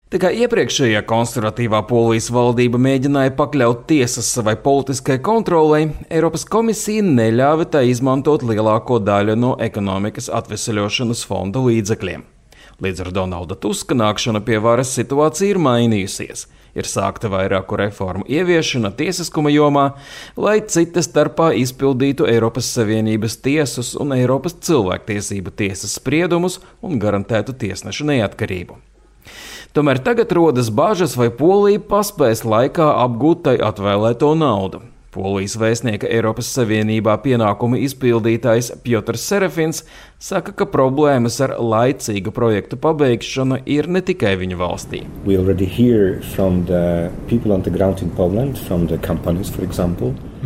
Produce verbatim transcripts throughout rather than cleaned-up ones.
Tikai iepriekšējā konservatīvā Polijas valdība mēģināja pakļaut tiesas savai politiskai kontrolei, Eiropas komisija neļāva tai izmantot lielāko daļu no ekonomikas atveseļošanas fonda līdzekļiem. Līdz ar Donalda Tuska nākšanu pie varas situācija ir mainījusies. Ir sākta vairāku reformu ieviešana tiesiskuma jomā, lai cita starpā izpildītu Eiropas Savienības tiesas un Eiropas cilvēktiesību tiesas spriedumus un garantētu tiesnešu neatkarību. Tomēr tagad rodas bažas, vai Polija paspēs laikā apgūt tai atvēlēto naudu. Polijas vēstnieka Eiropas Savienībā pienākumu izpildītājs Piotrs Serefins saka, ka problēmas ar laicīgu projektu pabeigšanu ir ne tikai viņa valstī.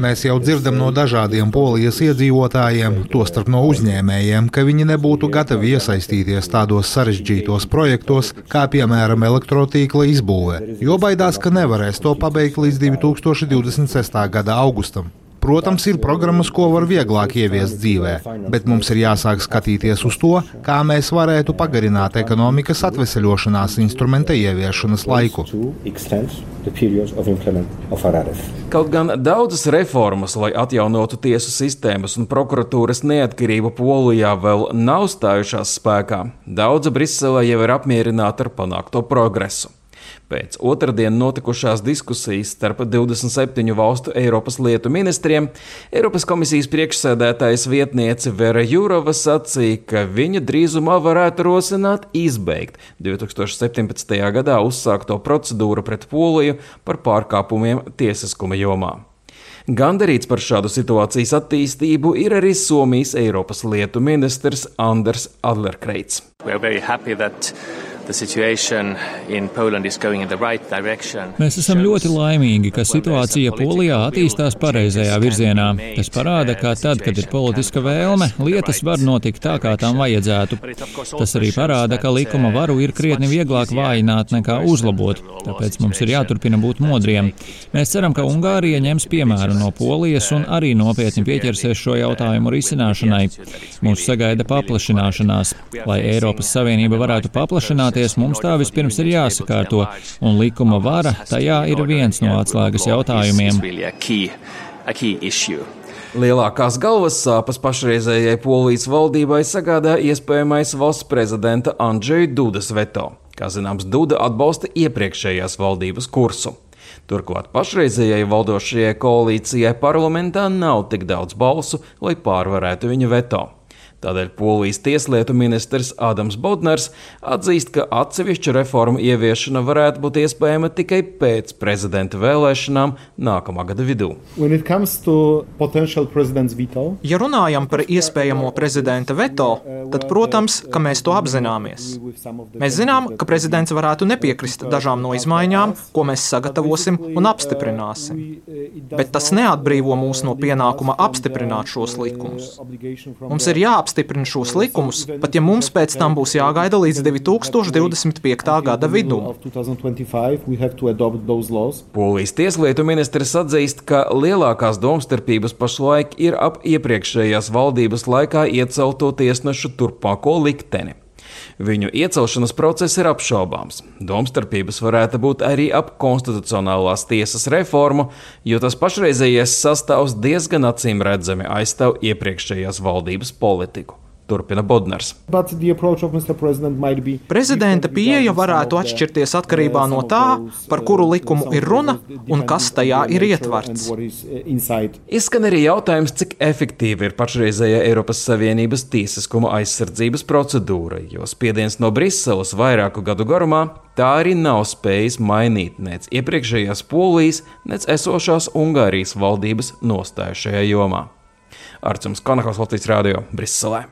Mēs jau dzirdam no dažādiem Polijas iedzīvotājiem, tostarp no uzņēmējiem, ka viņi nebūtu gatavi iesaistīties tādos sarežģītos projektos, kā piemēram elektrotīkla izbūve, jo baidās, ka nevarēs to pabeigt līdz divi tūkstoši divdesmit sestā gada augustam. Protams, ir programmas, ko var vieglāk ieviest dzīvē, bet mums ir jāsāk skatīties uz to, kā mēs varētu pagarināt ekonomikas atveseļošanās instrumenta ieviešanas laiku. Kaut gan daudzas reformas, lai atjaunotu tiesu sistēmas un prokuratūras neatkarību Polijā vēl nav stājušās spēkā, daudzi Briselē jau ir apmierināti ar panākto progresu. Pēc otrdien notikušās diskusijas starp divdesmit septiņu valstu Eiropas lietu ministriem, Eiropas komisijas priekšsēdētājas vietniece Vera Jurova sacīja, ka viņa drīzumā varētu rosināt izbeigt divi tūkstoši septiņpadsmitajā gadā uzsākto procedūru pret Poliju par pārkāpumiem tiesiskuma jomā. Gandarīts par šādu situācijas attīstību ir arī Somijas Eiropas lietu ministrs Anders Adlercreutz. Mēs esam ļoti laimīgi, ka situācija Polijā attīstās pareizajā virzienā. Tas parāda, ka tad, kad ir politiska vēlme, lietas var notikt tā, kā tām vajadzētu. Tas arī parāda, ka likuma varu ir krietni vieglāk vājināt nekā uzlabot, tāpēc mums ir jāturpina būt modriem. Mēs ceram, ka Ungārija ņems piemēru no Polijas un arī nopietni pieķersies šo jautājumu risināšanai. Mūs sagaida paplašināšanās. Lai Eiropas Savienība varētu paplašināties, mums tā vispirms ir jāsakārto, un likuma vara tajā ir viens no atslēgas jautājumiem. Lielākās galvas sāpes pašreizējai Polijas valdībai sagādā iespējamais valsts prezidenta Andžeja Dudas veto. Kā zināms, Duda atbalsta iepriekšējās valdības kursu. Turklāt pašreizējai valdošajai koalīcijai parlamentā nav tik daudz balsu, lai pārvarētu viņa veto. Tādēļ Polijas tieslietu ministrs Ādams Bodnars atzīst, ka atsevišķu reformu ieviešana varētu būt iespējama tikai pēc prezidenta vēlēšanām nākamā gada vidū. Ja runājam par iespējamo prezidenta veto, tad, protams, ka mēs to apzināmies. Mēs zinām, ka prezidents varētu nepiekrist dažām no izmaiņām, ko mēs sagatavosim un apstiprināsim. Bet tas neatbrīvo mūs no pienākuma apstiprināt šos likumus. Mums ir jāapstiprināt Stiprina šos likumus, pat ja mums pēc tam būs jāgaida līdz divi tūkstoši divdesmit piektā gada vidum. Polijas tieslietu ministrs atzīst, ka lielākās domstarpības pašlaik ir ap iepriekšējās valdības laikā iecelto tiesnešu turpmāko likteni. Viņu iecelšanas process ir apšaubāms. Domstarpības varētu būt arī ap konstitucionālās tiesas reformu, jo tas pašreizējais sastāvs diezgan acīm redzami aizstāv iepriekšējās valdības politiku. Turpina Bodnars. Prezidenta pieeja varētu atšķirties atkarībā no tā, par kuru likumu ir runa un kas tajā ir ietverts. Izskan arī jautājums, cik efektīva ir pašreizējā Eiropas Savienības tiesiskuma aizsardzības procedūra, jo spiediens no Briseles vairāku gadu garumā tā arī nav spējis mainīt nec iepriekšējās Polijas, nec esošās Ungārijas valdības nostāju šajā jomā. Arcums Konahaus, Latvijas radio, Briselē.